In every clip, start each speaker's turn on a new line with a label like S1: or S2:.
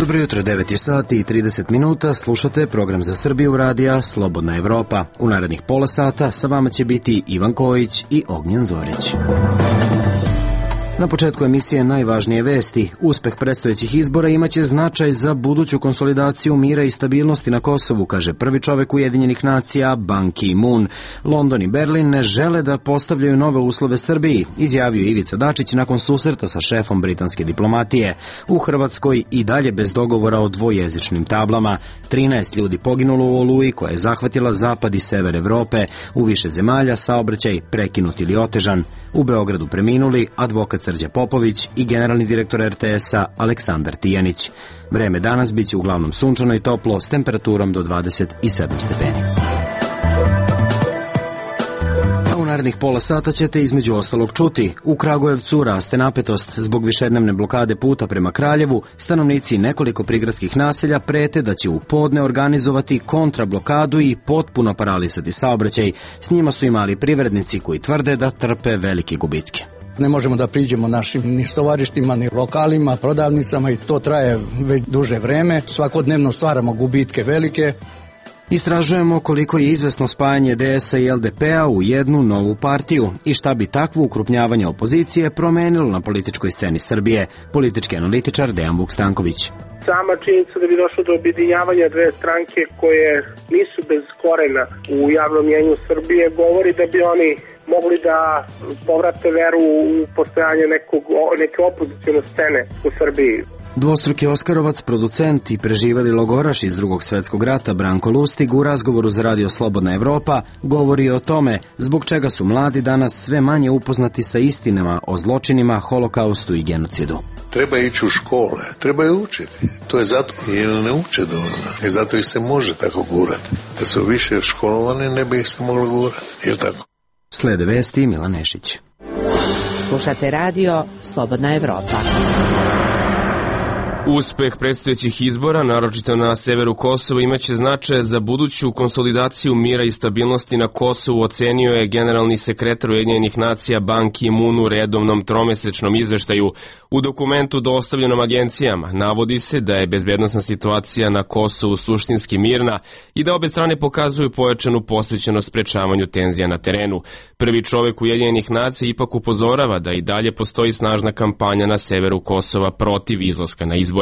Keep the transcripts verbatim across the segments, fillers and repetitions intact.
S1: Dobro jutro, devet je sati i trideset minuta, slušate program za Srbiju radija Slobodna Evropa. U narednih pola sata sa vama će biti Ivan Kojić i Ognjen Zorić. Na početku emisije najvažnije vesti. Uspeh predstojećih izbora imaće značaj za buduću konsolidaciju mira i stabilnosti na Kosovu, kaže prvi čovek Ujedinjenih nacija Ban Ki-moon. London i Berlin ne žele da postavljaju nove uslove Srbiji, izjavio Ivica Dačić nakon susreta sa šefom britanske diplomatije. U Hrvatskoj i dalje bez dogovora o dvojezičnim tablama. trinaest ljudi poginulo u oluji koja je zahvatila zapad i sever Evrope. U više zemalja saobraćaj prekinut ili otežan. U Beogradu preminuli advokat Srđa Popović i generalni direktor er te es-a Aleksandar Tijanić. Vreme danas biće uglavnom sunčano i toplo s temperaturom do dvadeset sedam stepeni. U narednih pola sata ćete između ostalog čuti. U Kragujevcu raste napetost. Zbog višednevne blokade puta prema Kraljevu, stanovnici nekoliko prigradskih naselja prete da će u podne organizovati kontrablokadu i potpuno paralisati saobraćaj. S njima su i mali privrednici koji tvrde da trpe velike gubitke.
S2: Ne možemo da priđemo našim ni stovarištima, ni lokalima, prodavnicama i to traje već duže vreme. Svakodnevno stvaramo gubitke velike.
S1: Istražujemo koliko je izvesno spajanje de es-a i el de pe-a u jednu novu partiju i šta bi takvo ukrupnjavanje opozicije promenilo na političkoj sceni Srbije. Politički analitičar Dejan Vukstanković.
S3: Sama činjenica da bi došlo do objedinjavanja dve stranke koje nisu bez korena u javnom mjenju Srbije govori da bi oni mogli da povrate veru u postojanje nekog, neke opozicijone scene u Srbiji.
S1: Dvostruki Oskarovac, producent i preživeli logoraš iz Drugog svetskog rata Branko Lustig u razgovoru za radio Slobodna Evropa govori o tome zbog čega su mladi danas sve manje upoznati sa istinama o zločinima, holokaustu i genocidu.
S4: Treba ići u škole, treba je učiti. To je zato jer ne uče dovoljno. I zato ih se može tako gurati. Da su više školovani ne bi ih se moglo gurati. Jer tako?
S1: Slede vesti Milan Nešić.
S5: Slušate radio Slobodna Evropa.
S6: Uspeh predstojećih izbora, naročito na severu Kosova, imaće značaja za buduću konsolidaciju mira i stabilnosti na Kosovu, ocenio je generalni sekretar Ujedinjenih nacija Ban Ki-moon u redovnom tromesečnom izveštaju. U dokumentu dostavljenom agencijama navodi se da je bezbednosna situacija na Kosovu suštinski mirna i da obe strane pokazuju pojačanu posvećenost sprečavanju tenzija na terenu. Prvi čovek Ujedinjenih nacija ipak upozorava da i dalje postoji snažna kampanja na severu Kosova protiv izlaska na izbore.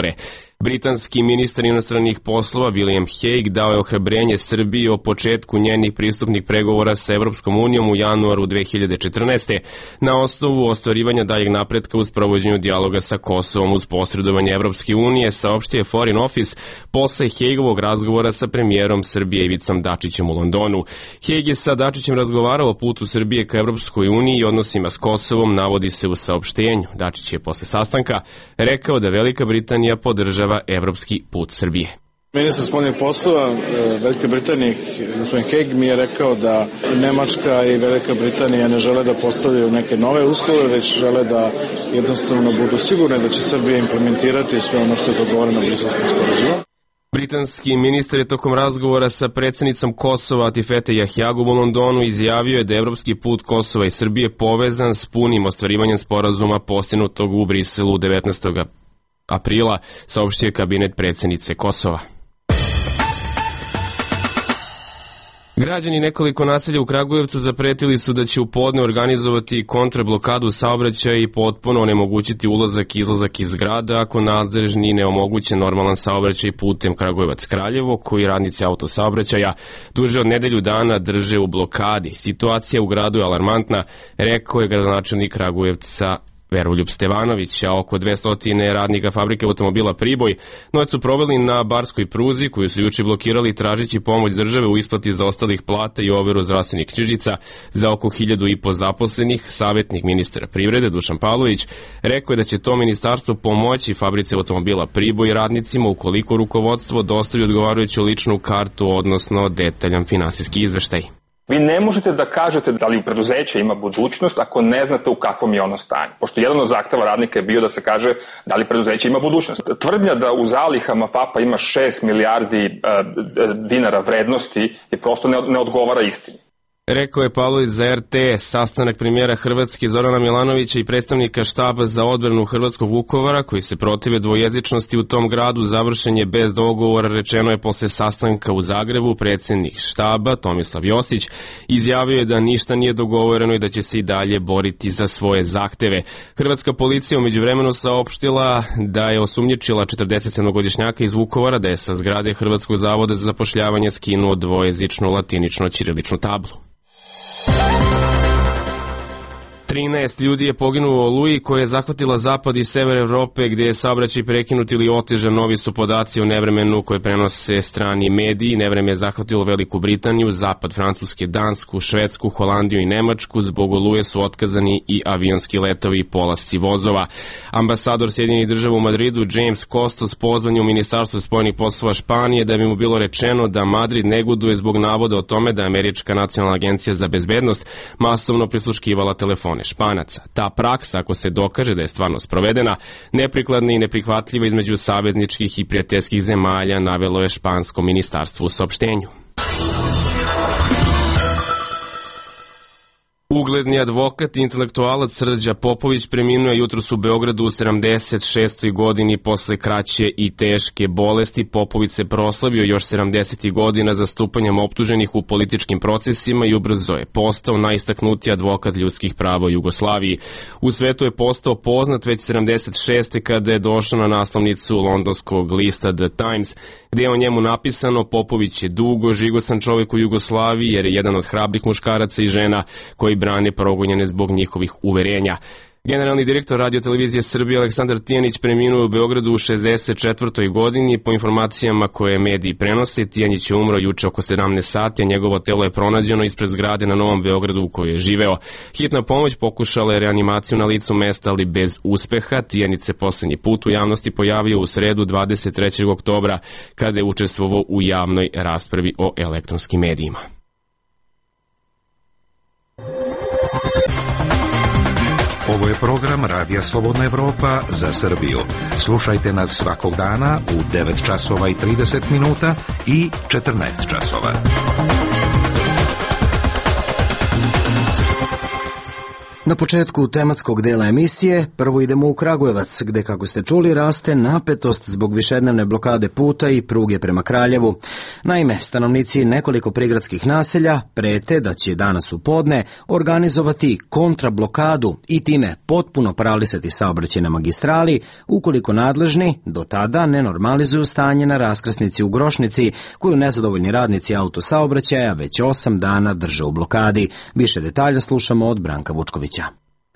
S6: Britanski ministar inostranih poslova William Hague dao je ohrabrenje Srbiji o početku njenih pristupnih pregovora sa Evropskom unijom u januaru dve hiljade četrnaeste. na osnovu ostvarivanja daljeg napretka u sprovođenju dijaloga sa Kosovom uz posredovanje Evropske unije, saopštio je Foreign Office posle Hagovog razgovora sa premijerom Srbije Ivicom Dačićem u Londonu. Hague je sa Dačićem razgovarao o putu Srbije ka Evropskoj uniji i odnosima s Kosovom, navodi se u saopštenju. Dačić je posle sastanka rekao da Velika Britanija podržava evropski put Srbije.
S7: Ministar spoljnih poslova Velike Britanije, gospodin Hague, mi je rekao da Nemačka i Velika Britanija ne žele da postavljaju neke nove uslove, već žele da jednostavno budu sigurne da će Srbija implementirati sve ono što je dogovoreno Briselskim sporazumom.
S6: Britanski ministar je tokom razgovora sa predsjednicom Kosova Atifete Jahjagom u Londonu izjavio je da je evropski put Kosova i Srbije povezan s punim ostvarivanjem sporazuma postignutog u Briselu devetnaestog aprila, saopštio je kabinet predsjednice Kosova. Građani nekoliko naselja u Kragujevcu zapretili su da će u podne organizovati kontrablokadu saobraćaja i potpuno onemogućiti ulazak i izlazak iz grada ako nadležni ne omoguće normalan saobraćaj putem Kragujevac-Kraljevo, koji radnici autosaobraćaja duže od nedelju dana drže u blokadi. Situacija u gradu je alarmantna, rekao je gradonačelnik Kragujevca Veroljub Stevanović, a oko dvesta radnika fabrike automobila Priboj noć su proveli na barskoj pruzi koju su juče blokirali tražeći pomoć države u isplati zaostalih plata i overu zdravstvenih knjižica za oko hiljadu i po zaposlenih. Savjetnik ministra privrede Dušan Pavlović rekao je da će to ministarstvo pomoći fabrici automobila Priboj radnicima ukoliko rukovodstvo dostavi odgovarajuću ličnu kartu, odnosno detaljan finansijski izveštaj.
S8: Vi ne možete da kažete da li u preduzeće ima budućnost ako ne znate u kakvom je ono stanju. Pošto jedan od zahteva radnika je bio da se kaže da li preduzeće ima budućnost. Tvrdnja da u zalihama FAP-a ima šest milijardi uh, dinara vrednosti je prosto ne, ne odgovara istini.
S6: Rekao je Pavlović za er te es. Sastanak premijera Hrvatske Zorana Milanovića i predstavnika štaba za odbranu Hrvatskog Vukovara, koji se protive dvojezičnosti u tom gradu, završen je bez dogovora, rečeno je posle sastanka u Zagrebu. Predsednik štaba Tomislav Josić izjavio je da ništa nije dogovoreno i da će se i dalje boriti za svoje zahteve. Hrvatska policija umeđu vremenu saopštila da je osumnjičila četrdesetsedmogodišnjaka iz Vukovara da je sa zgrade Hrvatskog zavoda za zapošljavanje skinuo dvojezičnu latinično-ćiriličnu tablu. trinaest ljudi je poginulo u oluji koja je zahvatila zapad i sever Evrope, gde je saobraćaj prekinut ili otežan. Novi su podaci o nevremenu koje prenose strani mediji. Nevreme je zahvatilo Veliku Britaniju, zapad Francuske, Dansku, Švedsku, Holandiju i Nemačku. Zbog oluje su otkazani i avionski letovi i polasci vozova. Ambasador Sjedinjenih Država u Madridu James Costas pozvan je u Ministarstvo spoljnih poslova Španije da bi mu bilo rečeno da Madrid neguduje zbog navoda o tome da je Američka nacionalna agencija za bezbednost masovno prisluškivala telefone Španaca. Ta praksa, ako se dokaže da je stvarno sprovedena, neprikladna i neprihvatljiva između savezničkih i prijateljskih zemalja, navelo je špansko ministarstvo u saopštenju. Ugledni advokat i intelektualac Srđa Popović preminuo je jutros u Beogradu u sedamdeset šestoj godini posle kraće i teške bolesti. Popović se proslavio još sedamdesetih godina zastupanjem optuženih u političkim procesima i ubrzo je postao najistaknutiji advokat ljudskih prava u Jugoslaviji. U svetu je postao poznat već sedamdeset šeste kada je došao na naslovnicu londonskog lista The Times, gde je o njemu napisano: Popović je dugo žigosan čovjek u Jugoslaviji jer je jedan od hrabrih muškaraca i žena koji brane progonjene zbog njihovih uverenja. Generalni direktor Radio televizije Srbije Aleksandar Tijanić preminuo u Beogradu u šezdeset četvrtoj godini. Po informacijama koje mediji prenose, Tijanić je umro juče oko sedamnaest sati, a njegovo telo je pronađeno ispred zgrade na Novom Beogradu u kojoj je živeo. Hitna pomoć pokušala je reanimaciju na licu mesta, ali bez uspeha. Tijanić se poslednji put u javnosti pojavio u sredu dvadeset trećeg oktobra kada je učestvovao u javnoj raspravi o elektronskim medijima.
S9: Ovo je program Radija Slobodna Evropa za Srbiju. Slušajte nas svakog dana u devet časova i trideset minuta i četrnaest časova.
S1: Na početku tematskog dela emisije prvo idemo u Kragujevac, gde, kako ste čuli, raste napetost zbog višednevne blokade puta i pruge prema Kraljevu. Naime, stanovnici nekoliko prigradskih naselja prete da će danas u podne organizovati kontrablokadu i time potpuno paralisati saobraćaj na magistrali, ukoliko nadležni do tada ne normalizuju stanje na raskrsnici u Grošnici, koju nezadovoljni radnici autosaobraćaja već osam dana drže u blokadi. Više detalja slušamo od Branka Vučkovića.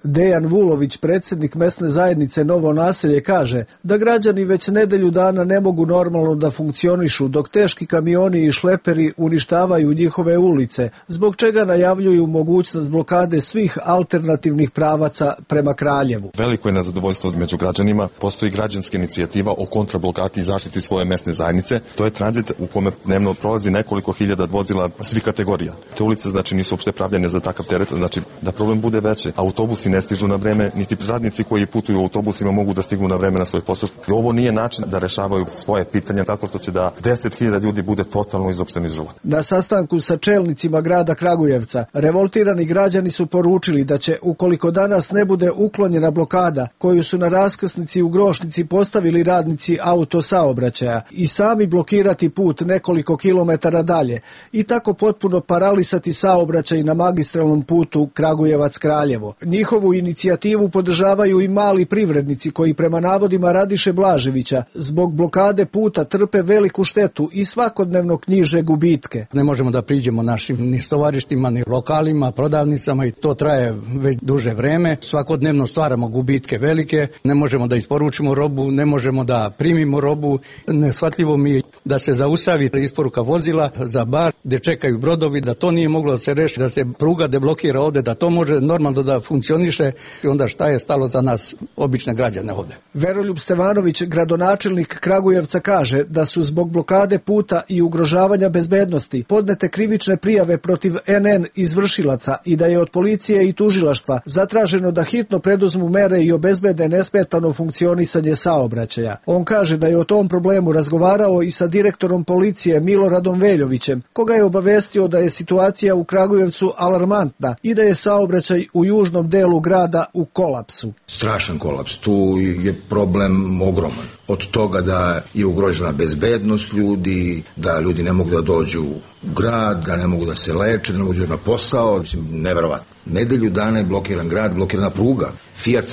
S10: Dejan Vulović, predsjednik mesne zajednice Novo naselje, kaže da građani već nedelju dana ne mogu normalno da funkcionišu dok teški kamioni i šleperi uništavaju njihove ulice, zbog čega najavljuju mogućnost blokade svih alternativnih pravaca prema Kraljevu.
S11: Veliko je nezadovoljstvo među građanima, postoji građanska inicijativa o kontrablokati i zaštiti svoje mesne zajednice. To je tranzit u kome dnevno prolazi nekoliko hiljada vozila svih kategorija. Te ulice znači nisu uopšte pravljene za takav teret, znači da problem bude veći. Autobusi ne stižu na vreme, niti radnici koji putuju u autobusima mogu da stignu na vreme na svoj posao. Ovo nije način da rešavaju svoje pitanja tako što će da deset hiljada ljudi bude totalno izopšteni iz života.
S10: Na sastanku sa čelnicima grada Kragujevca, revoltirani građani su poručili da će, ukoliko danas ne bude uklonjena blokada koju su na raskrsnici u Grošnici postavili radnici autosaobraćaja, i sami blokirati put nekoliko kilometara dalje i tako potpuno paralisati saobraćaj na magistralnom putu Kragujevac-Kraljevo. Njihovu inicijativu podržavaju i mali privrednici koji prema navodima Radiše Blaževića zbog blokade puta trpe veliku štetu i svakodnevno knjiže gubitke.
S2: Ne možemo da priđemo našim ni stovarištima, ni lokalima, prodavnicama i to traje već duže vreme. Svakodnevno stvaramo gubitke velike, ne možemo da isporučimo robu, ne možemo da primimo robu. Neshvatljivo mi je da se zaustavi isporuka vozila za bar gde čekaju brodovi, da to nije moglo da se reši, da se pruga deblokira ovde, da to može normalno da funkcioniše. I onda šta je stalo za nas, obične građane ovde?
S10: Veroljub Stevanović, gradonačelnik Kragujevca, kaže da su zbog blokade puta i ugrožavanja bezbednosti podnete krivične prijave protiv en en izvršilaca i da je od policije i tužilaštva zatraženo da hitno preduzmu mere i obezbede nesmetano funkcionisanje saobraćaja. On kaže da je o tom problemu razgovarao i sa direktorom policije Miloradom Veljovićem, koga je obavestio da je situacija u Kragujevcu alarmantna i da je saobraćaj u južnom delu grada u kolapsu.
S12: Strašan kolaps, tu je problem ogroman. Od toga da je ugrožena bezbednost ljudi, da ljudi ne mogu da dođu u grad, da ne mogu da se leče, da ne mogu da na posao, mislim, neverovatno. Nedelju dana je blokiran grad, blokirana pruga. Fiat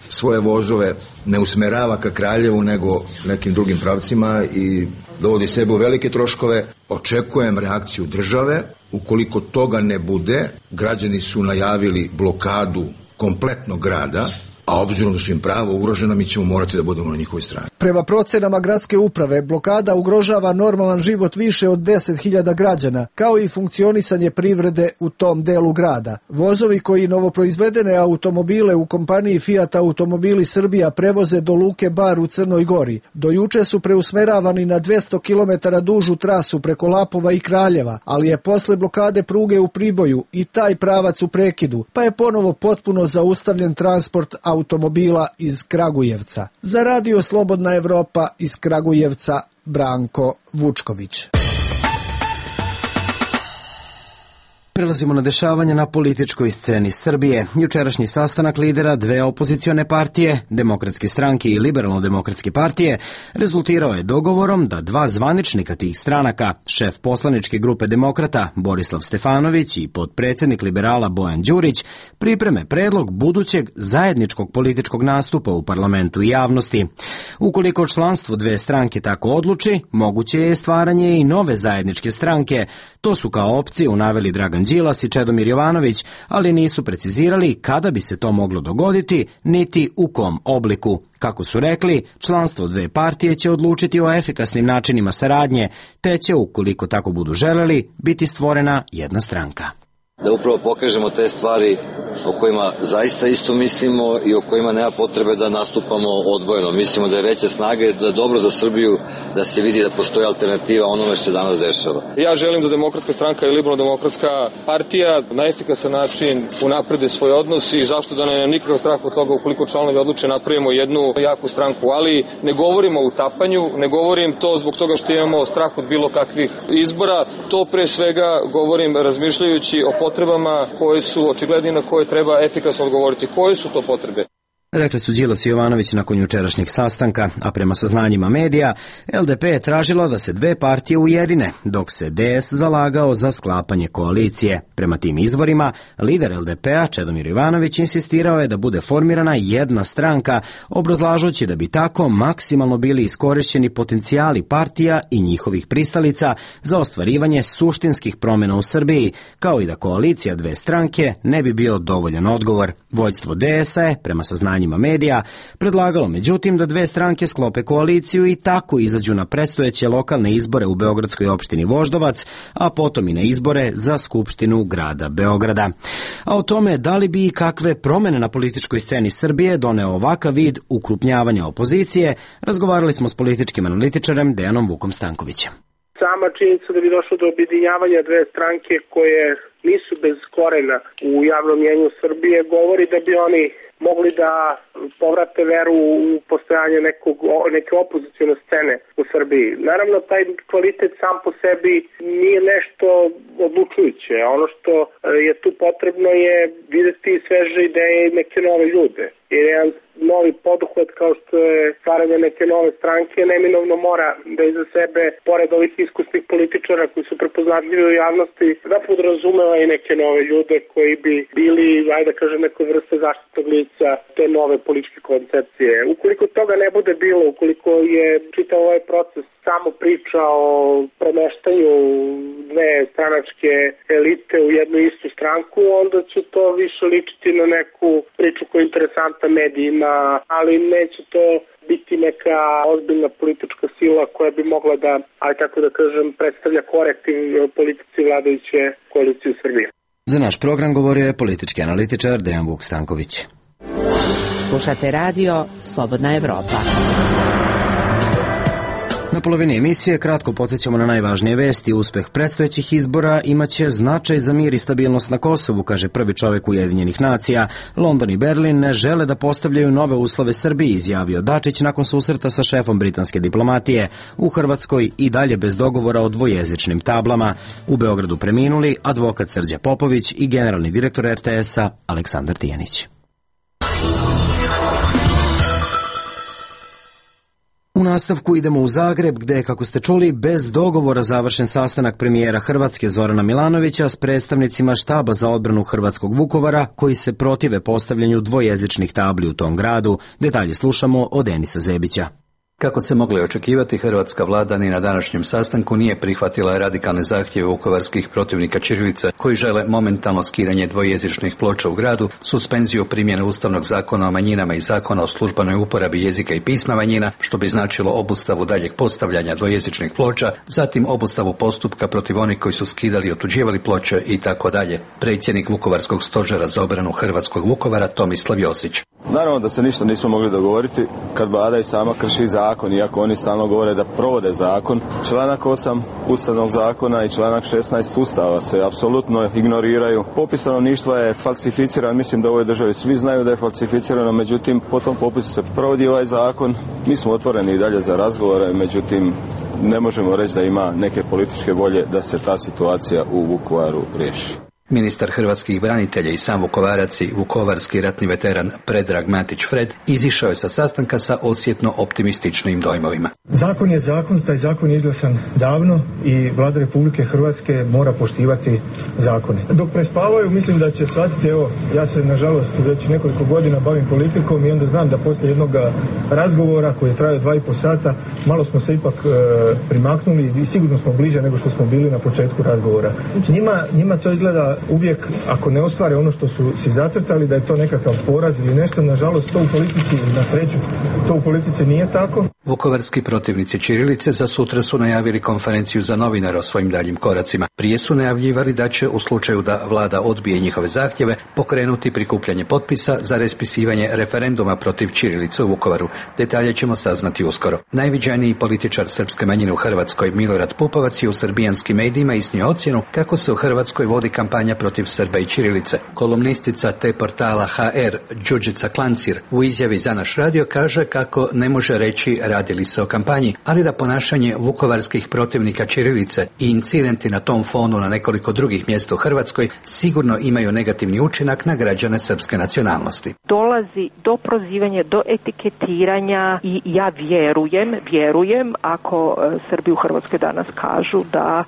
S12: svoje vozove ne usmerava ka Kraljevu nego nekim drugim pravcima i dovodi sebe u velike troškove. Očekujem reakciju države. Ukoliko toga ne bude, građani su najavili blokadu kompletnog grada, a obzirom da su im prava ugrožena, mi ćemo morati da budemo na njihovoj strani.
S10: Prema procenama gradske uprave, blokada ugrožava normalan život više od deset hiljada građana, kao i funkcionisanje privrede u tom delu grada. Vozovi koji novoproizvedene automobile u kompaniji Fiat Automobili Srbija prevoze do Luke Bar u Crnoj Gori, do juče su preusmeravani na dvesta kilometara dužu trasu preko Lapova i Kraljeva, ali je posle blokade pruge u Priboju i taj pravac u prekidu, pa je ponovo potpuno zaustavljen transport automobila iz Kragujevca. Za radio Slobodna Evropa iz Kragujevca, Branko Vučković.
S1: Prelazimo na dešavanja na političkoj sceni Srbije. Jučerašnji sastanak lidera dve opozicione partije, Demokratske stranke i Liberalno-demokratske partije, rezultirao je dogovorom da dva zvaničnika tih stranaka, šef poslaničke grupe Demokrata Borislav Stefanović i potpredsednik Liberala Bojan Đurić, pripreme predlog budućeg zajedničkog političkog nastupa u parlamentu i javnosti. Ukoliko članstvo dve stranke tako odluči, moguće je stvaranje i nove zajedničke stranke. To su kao opciju naveli Dragan Đilas i Čedomir Jovanović, ali nisu precizirali kada bi se to moglo dogoditi, niti u kom obliku. Kako su rekli, članstvo dve partije će odlučiti o efikasnim načinima saradnje, te će, ukoliko tako budu želeli, biti stvorena jedna stranka.
S13: Da upravo pokažemo te stvari o kojima zaista isto mislimo i o kojima nema potrebe da nastupamo odvojeno. Mislimo da je veća snaga i da je dobro za Srbiju da se vidi da postoji alternativa onome što se danas dešava.
S14: Ja želim da Demokratska stranka i Liberalno-demokratska partija na efikasan način unaprede svoj odnos i zašto da ne nikakav strah od toga ukoliko članovi odluče napravimo jednu jaku stranku, ali ne govorimo o utapanju, ne govorim to zbog toga što imamo strah od bilo kakvih izbora, to pre svega govorim razmišljajući o potrebama koje su očigledni na koje treba efikasno odgovoriti. Koje su to potrebe?
S1: Rekli su Đilas i Jovanović nakon jučerašnjeg sastanka, a prema saznanjima medija, L D P je tražilo da se dve partije ujedine, dok se D S zalagao za sklapanje koalicije. Prema tim izvorima, lider L D P-a Čedomir Jovanović insistirao je da bude formirana jedna stranka, obrazlažući da bi tako maksimalno bili iskorišćeni potencijali partija i njihovih pristalica za ostvarivanje suštinskih promjena u Srbiji, kao i da koalicija dve stranke ne bi bio dovoljan odgovor. Vođstvo D S-a je, prema saznanjima medija, predlagalo međutim da dve stranke sklope koaliciju i tako izađu na predstojeće lokalne izbore u beogradskoj opštini Voždovac, a potom i na izbore za Skupštinu grada Beograda. A o tome da li bi i kakve promene na političkoj sceni Srbije doneo ovakav vid ukrupnjavanja opozicije, razgovarali smo s političkim analitičarem Dejanom Vukom Stankovićem.
S3: Sama činjenica da bi došlo do objedinjavanja dve stranke koje nisu bez korena u javnom mjenju Srbije govori da bi oni mogli da povrate veru u postojanje nekog, neke opozicione scene u Srbiji. Naravno, taj kvalitet sam po sebi nije nešto odlučujuće. Ono što je tu potrebno je videti sveže ideje i neke nove ljude. Jer jedan novi poduhvat kao što je stvaranje neke nove stranke neminovno mora da iza sebe, pored ovih iskusnih političara koji su prepoznatljivi u javnosti, da podrazumeva i neke nove ljude koji bi bili, ajde da kažem, neke vrste zaštitnog lica te nove političke koncepcije. Ukoliko toga ne bude bilo, ukoliko je čitav ovaj proces samo priča o premeštanju dve stranačke elite u jednu istu stranku, onda će to više ličiti na neku priču koja je interesantna medijima, ali neće to biti neka ozbiljna politička sila koja bi mogla da, aj tako da kažem, predstavlja korektiv politici vladajuće koalicije u Srbiji.
S1: Za naš program govorio je politički analitičar Dejan Vuk Stanković.
S5: Slušate radio Slobodna Evropa.
S1: Na Na polovini emisije kratko podsjećamo na najvažnije vesti. Uspeh predstojećih izbora imaće značaj za mir i stabilnost na Kosovu, kaže prvi čovek Ujedinjenih nacija. London i Berlin ne žele da postavljaju nove uslove Srbiji, izjavio Dačić nakon susreta sa šefom britanske diplomatije. U Hrvatskoj i dalje bez dogovora o dvojezičnim tablama. U Beogradu preminuli advokat Srđa Popović i generalni direktor er te es-a Aleksandar Tijanić. U nastavku idemo u Zagreb, gde je, kako ste čuli, bez dogovora završen sastanak premijera Hrvatske Zorana Milanovića s predstavnicima štaba za odbranu hrvatskog Vukovara, koji se protive postavljanju dvojezičnih tabli u tom gradu. Detalje slušamo od Denisa Zebića.
S15: Kako se moglo očekivati, hrvatska vlada ni na današnjem sastanku nije prihvatila radikalne zahtjeve vukovarskih protivnika ćirilice koji žele momentalno skidanje dvojezičnih ploča u gradu, suspenziju primjene Ustavnog zakona o manjinama i zakona o službenoj uporabi jezika i pisma manjina, što bi značilo obustavu daljeg postavljanja dvojezičnih ploča, zatim obustavu postupka protiv onih koji su skidali i otuđivali ploče i tako dalje. Predsjednik Vukovarskog stožera za obranu hrvatskog Vukovara Tomislav Josić.
S16: Naravno da se ništa nismo mogli dogovoriti kad vlada i sama krši zakon, iako oni stalno govore da provode zakon. Članak osam Ustavnog zakona i članak šesnaest Ustava se apsolutno ignoriraju. Popis stanovništva je falsificiran, mislim da u ovoj državi svi znaju da je falsificirano, međutim po tom popisu se provodi ovaj zakon. Mi smo otvoreni i dalje za razgovore, međutim ne možemo reći da ima neke političke volje da se ta situacija u Vukovaru riješi.
S15: Ministar hrvatskih branitelja i sam Vukovarac i vukovarski ratni veteran Predrag Matić Fred izišao je sa sastanka sa osjetno optimističnim dojmovima.
S17: Zakon je zakon, taj zakon je izglasan davno i Vlada Republike Hrvatske mora poštivati zakone. Dok prespavaju, mislim da će shvatiti, evo, ja se nažalost već nekoliko godina bavim politikom i onda znam da poslije jednog razgovora koji je trajao dva i po sata, malo smo se ipak e, primaknuli i sigurno smo bliže nego što smo bili na početku razgovora. Njima, njima to izgleda uvijek, ako ne ostvare ono što su si zacrtali, da je to nekakav poraz ili nešto, nažalost to u politici, na sreću, to u politici nije tako.
S15: Vukovarski protivnici ćirilice za sutra su najavili konferenciju za novinare o svojim daljim koracima. Prije su najavljivali da će, u slučaju da vlada odbije njihove zahtjeve, pokrenuti prikupljanje potpisa za raspisivanje referenduma protiv ćirilice u Vukovaru. Detalje ćemo saznati uskoro. Najviđaniji političar srpske manjine u Hrvatskoj, Milorad Pupovac, je u srbijanskim medijima iznio ocjenu kako se u Hrvatskoj vodi kampanja protiv Srba i ćirilice. Kolumnistica te portala ha er Đurđica Klancir u izjavi za naš radio kaže kako ne može reći radi li se o kampanji, ali da ponašanje vukovarskih protivnika ćirilice i incidenti na tom fonu na nekoliko drugih mjesta u Hrvatskoj sigurno imaju negativni učinak na građane srpske nacionalnosti.
S18: Dolazi do prozivanja, do etiketiranja i ja vjerujem, vjerujem ako Srbi u Hrvatskoj danas kažu da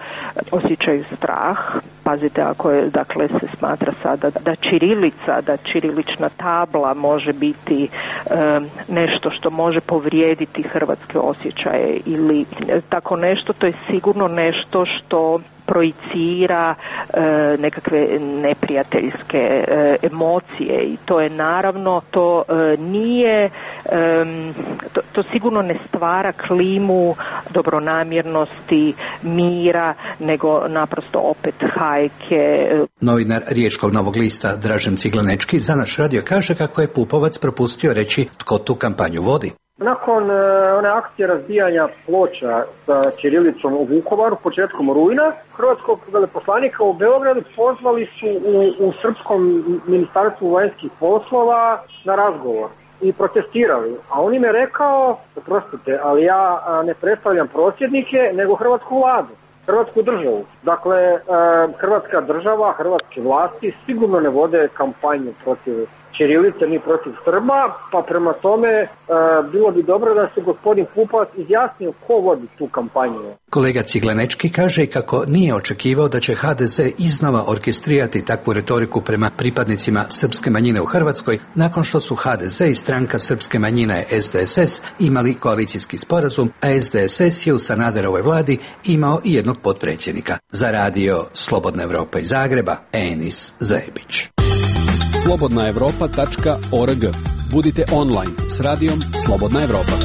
S18: osjećaju strah, pazite ako je, dakle, se smatra sada da ćirilica, da ćirilična tabla može biti um, nešto što može povrijediti hrvatske osjećaje ili tako nešto, to je sigurno nešto što projicira e, nekakve neprijateljske e, emocije i to je naravno, to e, nije, e, to, to sigurno ne stvara klimu dobronamjernosti, mira, nego naprosto opet hajke.
S15: Novinar Riječkog Novog lista Dražen Ciglanečki za naš radio kaže kako je Pupovac propustio reći tko tu kampanju vodi.
S19: Nakon e, one akcije razbijanja ploča sa ćirilicom u Vukovaru početkom rujna, hrvatskog veleposlanika u Beogradu pozvali su u, u Srpskom ministarstvu vanjskih poslova na razgovor i protestirali. A on im je rekao, oprostite, ali ja ne predstavljam prosvjednike, nego hrvatsku vladu, hrvatsku državu. Dakle, e, hrvatska država, hrvatske vlasti sigurno ne vode kampanju protiv ćirilice ni protiv Srba, pa prema tome e, bilo bi dobro da se gospodin Pupovac izjasnio ko vodi tu kampanju.
S15: Kolega Ciglanečki kaže kako nije očekivao da će ha de ze iznova orkestrirati takvu retoriku prema pripadnicima srpske manjine u Hrvatskoj, nakon što su ha de ze i stranka srpske manjine es de es es imali koalicijski sporazum, a es de es es je u Sanaderovoj vladi imao i jednog potpredsjednika. Za radio Slobodna Evropa iz Zagreba, Enis Zebić.
S20: slobodna evropa tačka org. Budite online s radijom Slobodna Evropa.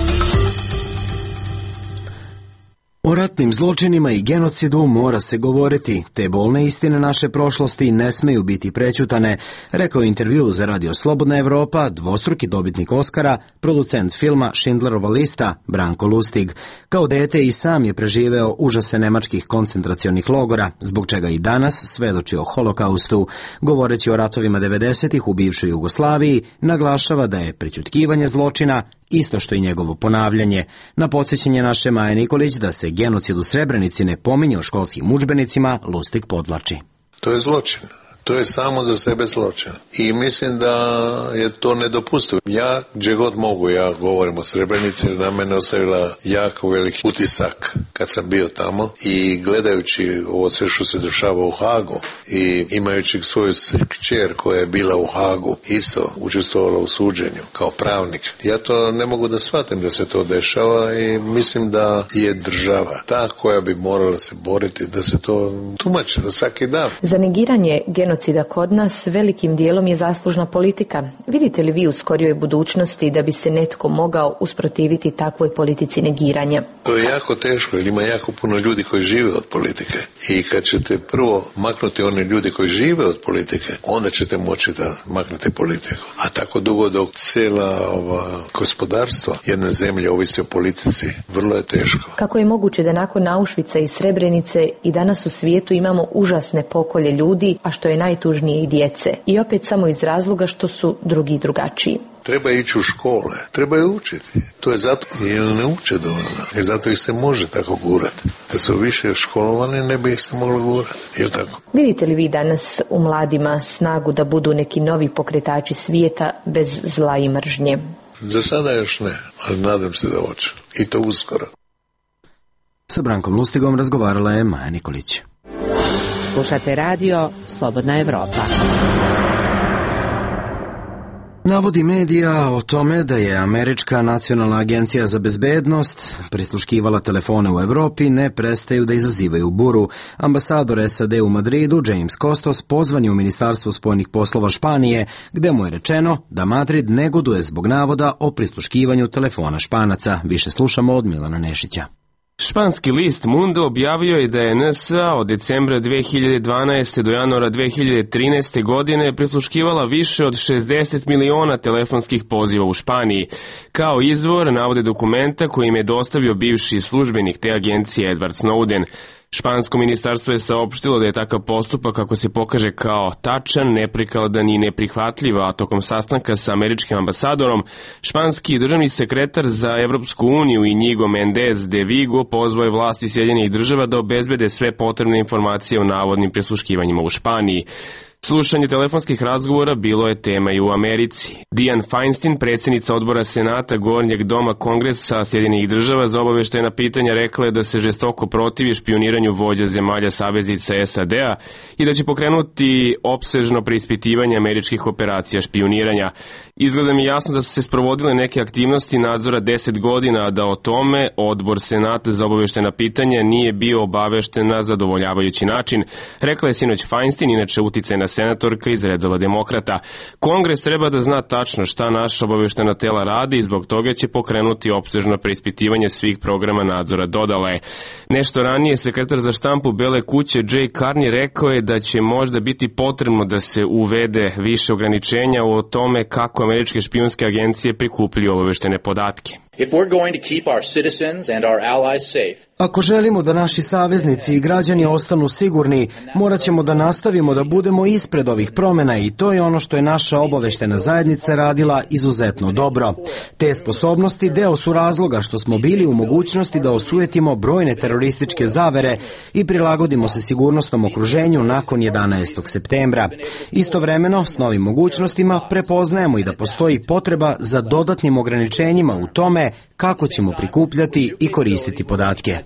S1: O ratnim zločinima i genocidu mora se govoriti, te bolne istine naše prošlosti ne smeju biti prećutane, rekao je intervju za Radio Slobodna Evropa dvostruki dobitnik Oskara, producent filma Schindlerova lista Branko Lustig. Kao dete i sam je preživeo užase nemačkih koncentracionih logora, zbog čega i danas svedoči o holokaustu. Govoreći o ratovima devedesetih u bivšoj Jugoslaviji, naglašava da je prećutkivanje zločina isto što i njegovo ponavljanje. Na podsjećanje naše Maje Nikolić da se genocid u Srebrenici ne pominje u školskim udžbenicima, Lustig podvlači.
S4: To je zločin. To je samo za sebe zločin. I mislim da je to nedopustivo. Ja, gdje god mogu, ja govorim o Srebrenici, na mene ostavila jako veliki utisak kad sam bio tamo i gledajući ovo sve što se dešava u Hagu i imajući svoju kćer koja je bila u Hagu, isto učestvovala u suđenju kao pravnik. Ja to ne mogu da shvatim da se to dešava i mislim da je država ta koja bi morala se boriti da se to tumači na svaki dan.
S21: Za negiranje genocida kod nas velikim dijelom je zaslužna politika. Vidite li vi u skorijoj budućnosti da bi se netko mogao usprotiviti takvoj politici negiranja?
S4: To je jako teško jer ima jako puno ljudi koji žive od politike. I kad ćete prvo maknuti one ljudi koji žive od politike, onda ćete moći da maknete politiku. A tako dugo dok cijela ova gospodarstva jedne zemlje ovisi o politici, vrlo je teško.
S21: Kako je moguće da nakon Auschwitza i Srebrenice i danas u svijetu imamo užasne pokolje ljudi, a što je najtužnije i djece? I opet samo iz razloga što su drugi drugačiji.
S4: Treba ići u škole, treba je učiti. To je zato jer ne uče dovoljno. I zato ih se može tako gurati. Da su više školovani, ne bi ih se moglo gurati. Jel tako?
S21: Vidite li vi danas u mladima snagu da budu neki novi pokretači svijeta bez zla i mržnje?
S4: Za sada još ne, ali nadam se da hoće. I to uskoro.
S1: Sa Brankom Lustigom razgovarala je Maja Nikolić.
S5: Slušate radio Slobodna Evropa.
S1: Navodi medija o tome da je Američka nacionalna agencija za bezbednost prisluškivala telefone u Evropi ne prestaju da izazivaju buru. Ambasador S A D u Madridu, James Costos, pozvan je u Ministarstvo spoljnih poslova Španije, gde mu je rečeno da Madrid negoduje zbog navoda o prisluškivanju telefona Španaca. Više slušamo od Milana Nešića.
S6: Španski list Mundo objavio je da je N S A od decembra dve hiljade dvanaeste. do januara dve hiljade trinaeste. godine prisluškivala više od šezdeset miliona telefonskih poziva u Španiji. Kao izvor navode dokumenta koji im je dostavio bivši službenik te agencije Edward Snowden. Špansko ministarstvo je saopštilo da je takav postupak, kako se pokaže kao tačan, neprikladan i neprihvatljiv, a tokom sastanka sa američkim ambasadorom, španski državni sekretar za Evropsku uniju Inigo Mendez de Vigo pozvao je vlasti Sjedinjenih država da obezbede sve potrebne informacije o navodnim prisluškivanjima u Španiji. Slušanje telefonskih razgovora bilo je tema i u Americi. Dianne Feinstein, predsjednica odbora Senata Gornjeg doma Kongresa Sjedinjenih država, za obaveštajna pitanja rekla je da se žestoko protivi špioniranju vođa zemalja saveznica S A D-a i da će pokrenuti opsežno preispitivanje američkih operacija špioniranja. Izgleda mi jasno da su se sprovodile neke aktivnosti nadzora deset godina, a da o tome odbor Senata za obaveštajna pitanja nije bio obavešten na zadovoljavajući način, rekla je sinoć Feinstein, inače uticajna senatorka iz redova demokrata. Kongres treba da zna tačno šta naša obaveštajna tela radi i zbog toga će pokrenuti opsežno preispitivanje svih programa nadzora, dodala je. Nešto ranije sekretar za štampu Bele kuće Jay Carney rekao je da će možda biti potrebno da se uvede više ograničenja o tome kako američke špijunske agencije prikupljaju obaveštajne podatke.
S22: If we're going to keep our citizens and our allies safe,
S1: Ako želimo da naši saveznici i građani ostanu sigurni, morat ćemo da nastavimo da budemo ispred ovih promjena i to je ono što je naša obaveštajna zajednica radila izuzetno dobro. Te sposobnosti deo su razloga što smo bili u mogućnosti da osujetimo brojne terorističke zavere i prilagodimo se sigurnosnom okruženju nakon jedanaestog septembra. Istovremeno, s novim mogućnostima prepoznajemo i da postoji potreba za dodatnim ograničenjima u tome kako ćemo prikupljati i koristiti podatke.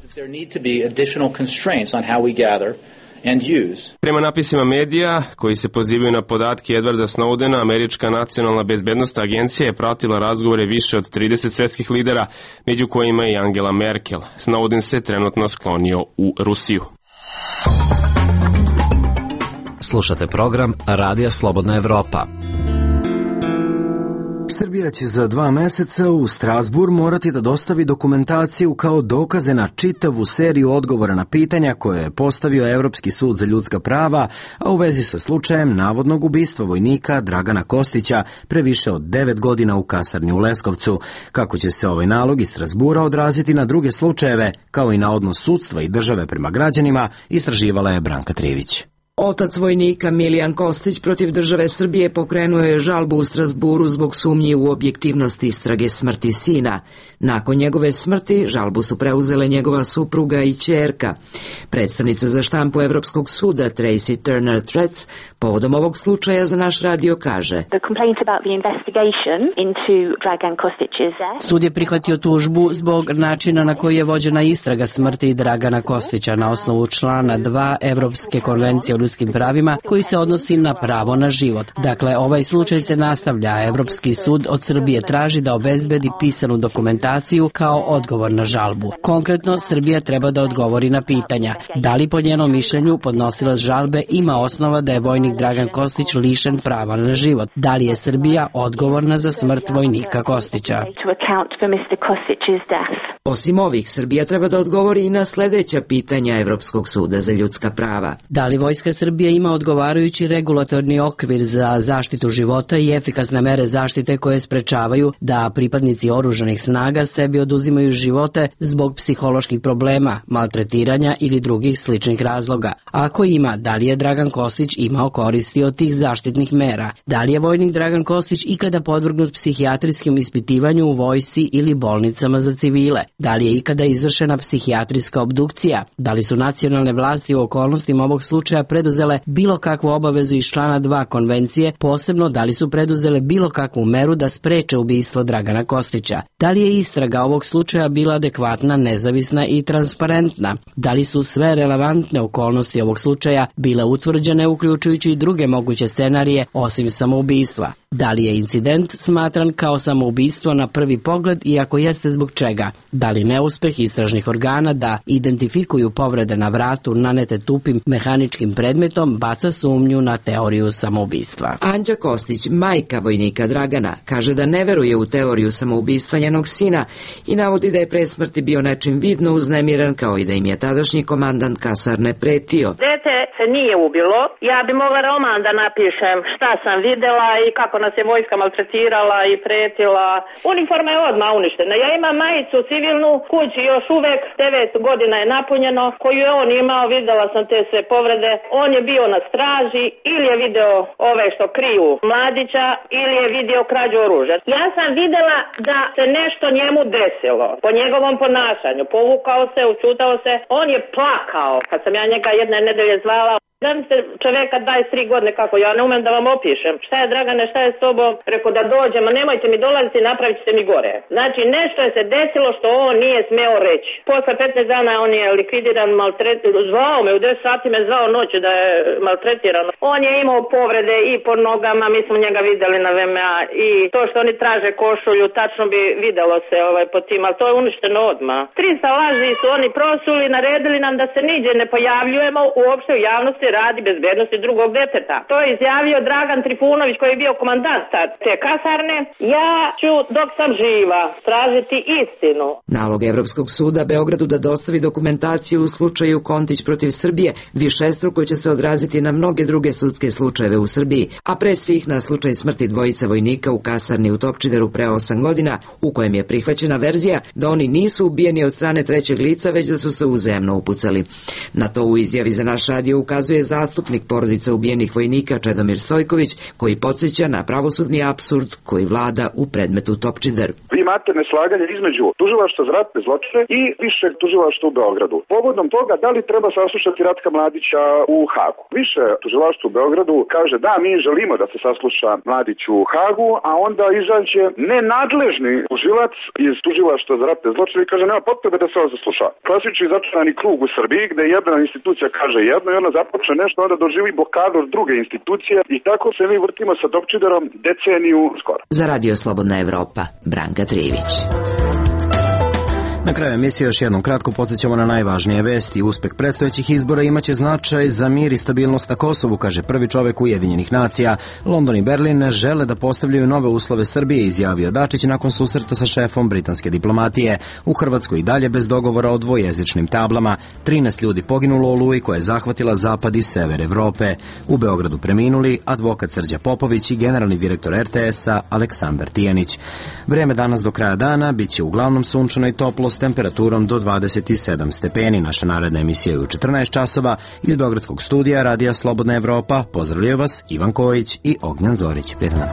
S6: Prema napisima medija koji se pozivaju na podatke Edwarda Snowdena, Američka nacionalna bezbednosna agencija je pratila razgovore više od trideset svetskih lidera, među kojima i Angela Merkel. Snowden se trenutno sklonio u Rusiju.
S23: Slušate program Radija Slobodna Evropa.
S1: Srbija će za dva meseca u Strasbourg morati da dostavi dokumentaciju kao dokaze na čitavu seriju odgovora na pitanja koje je postavio Evropski sud za ljudska prava, a u vezi sa slučajem navodnog ubistva vojnika Dragana Kostića pre više od devet godina u kasarni u Leskovcu. Kako će se ovaj nalog iz Strasbourga odraziti na druge slučajeve, kao i na odnos sudstva i države prema građanima, istraživala je Branka Trivić.
S7: Otac vojnika Milijan Kostić protiv države Srbije pokrenuo je žalbu u Strasburu zbog sumnji u objektivnost istrage smrti sina. Nakon njegove smrti žalbu su preuzele njegova supruga i ćerka. Predstavnica za štampu Evropskog suda Tracy Turner Tretz povodom ovog slučaja za naš radio kaže:
S8: Sud je prihvatio tužbu zbog načina na koji je vođena istraga smrti Dragana Kostića na osnovu člana dva Evropske konvencije o ljudskim pravima koji se odnosi na pravo na život. Dakle, ovaj slučaj se nastavlja, a Evropski sud od Srbije traži da obezbedi pisanu dokumentaciju kao odgovor na žalbu. Konkretno, Srbija treba da odgovori na pitanja: da li po njenom mišljenju podnosilac žalbe ima osnova da je vojnik Dragan Kostić lišen prava na život? Da li je Srbija odgovorna za smrt vojnika Kostića?
S7: Osim ovih, Srbija treba da odgovori i na sledeća pitanja Evropskog suda za ljudska prava.
S8: Da li Vojska Srbije ima odgovarajući regulatorni okvir za zaštitu života i efikasne mere zaštite koje sprečavaju da pripadnici oružanih snaga sebi oduzimaju živote zbog psiholoških problema, maltretiranja ili drugih sličnih razloga? Ako ima, da li je Dragan Kostić imao koristi od tih zaštitnih mera? Da li je vojnik Dragan Kostić ikada podvrgnut psihijatrijskim ispitivanju u vojsci ili bolnicama za civile? Da li je ikada izvršena psihijatrijska obdukcija? Da li su nacionalne vlasti u okolnostima ovog slučaja preduzele bilo kakvu obavezu iz člana dva konvencije, posebno da li su preduzele bilo kakvu meru da spreče ubistvo Dragana Kostića? Da li je istraga ovog slučaja bila adekvatna, nezavisna i transparentna? Da li su sve relevantne okolnosti ovog slučaja bile utvrđene, uključujući i druge moguće scenarije osim samoubistva? Da li je incident smatran kao samoubistvo na prvi pogled i ako jeste, zbog čega? Da li neuspeh istražnih organa da identifikuju povrede na vratu nanete tupim mehaničkim predmetom baca sumnju na teoriju samoubistva?
S7: Anđa Kostić, majka vojnika Dragana, kaže da ne veruje u teoriju samoubistva njenog sina i navodi da je pre smrti bio nečim vidno uznemiran, kao i da im je tadašnji komandant kasarne pretio.
S23: Dete se nije ubilo, ja bi mogla roman da napišem šta sam videla i kako nas je vojska maltretirala i pretila. Uniforma je odmah uništena. Ja imam majicu civilnu, kući još uvek devet godina je napunjeno, koju je on imao, videla sam te sve povrede. On je bio na straži, ili je video ove što kriju mladića, ili je video krađu oružja. Ja sam videla da se nešto njemu desilo po njegovom ponašanju. Povukao se, učutao se, on je plakao. Kad sam ja njega jedne nedelje zvala, da mi se čoveka dvadeset tri godine, kako ja ne umem da vam opišem. Šta je Dragane, šta je s tobom? Rekao da dođem, a nemojte mi dolaziti, napravit ćete mi gore. Znači nešto je se desilo što on nije smeo reći. Posle petnaest dana on je likvidiran, maltretiran, zvao me, u deset sati me zvao noću da je maltretiran. On je imao povrede i po nogama, mi smo njega videli na V M A i to što oni traže košulju, tačno bi videlo se ovaj, po tim, ali to je uništeno odmah. trista laži su oni prosuli, naredili nam da se niđe ne pojavljujemo uopšte u javnosti radi bezbednosti drugog deteta. To je izjavio Dragan Trifunović, koji je bio komandant te kasarne. Ja ću dok sam živa tražiti istinu.
S7: Nalog Evropskog suda Beogradu da dostavi dokumentaciju u slučaju Kontić protiv Srbije višestruko će se odraziti na mnoge druge sudske slučajeve u Srbiji, a pre svih na slučaj smrti dvojice vojnika u kasarni u Topčideru pre osam godina, u kojem je prihvaćena verzija da oni nisu ubijeni od strane trećeg lica, već da su se uzajamno upucali. Na to u izjavi za naš radio ukazuje zastupnik porodica ubijenih vojnika Čedomir Stojković, koji podsjeća na pravosudni apsurd koji vlada u predmetu Topčider.
S24: Vi imate neslaganje između tužilaštva za ratne zločine i višeg tužilaštva u Beogradu. Povodom toga, da li treba saslušati Ratka Mladića u Hagu? Više tužilaštvo u Beogradu kaže da mi želimo da se sasluša Mladić u Hagu, a onda izađe nenadležni tužilac iz tužilaštva za ratne zločine i kaže nema potrebe da se ovo zasluša. Klasični začarani krug u Srbiji gde jedna institucija kaže jedno i ona započne nešto, onda doživi blokadu od druge institucije i tako se mi vrtimo sa Topčiderom deceniju skoro.
S7: Za Radio Slobodna Evropa, Branka Trivić.
S1: Na kraju emisije još jednom kratko podsjećamo na najvažnije vesti. Uspeh predstojećih izbora imaće značaj za mir i stabilnost na Kosovu, kaže prvi čovek Ujedinjenih nacija. London i Berlin žele da postavljaju nove uslove Srbije, izjavio Dačić nakon susreta sa šefom britanske diplomatije. U Hrvatskoj i dalje bez dogovora o dvojezičnim tablama. trinaest ljudi poginulo u oluji koja je zahvatila zapad i sever Evrope. U Beogradu preminuli advokat Srđa Popović i generalni direktor er te esa Aleksandar Tijanić. Vreme danas do kraja dana biće uglavnom sunčano i toplo s temperaturom do dvadeset sedam stepeni. Naša naredna emisija je u četrnaest časova. Iz Beogradskog studija Radija Slobodna Evropa pozdravljaju vas Ivan Kojić i Ognjan Zorić. Prijetno.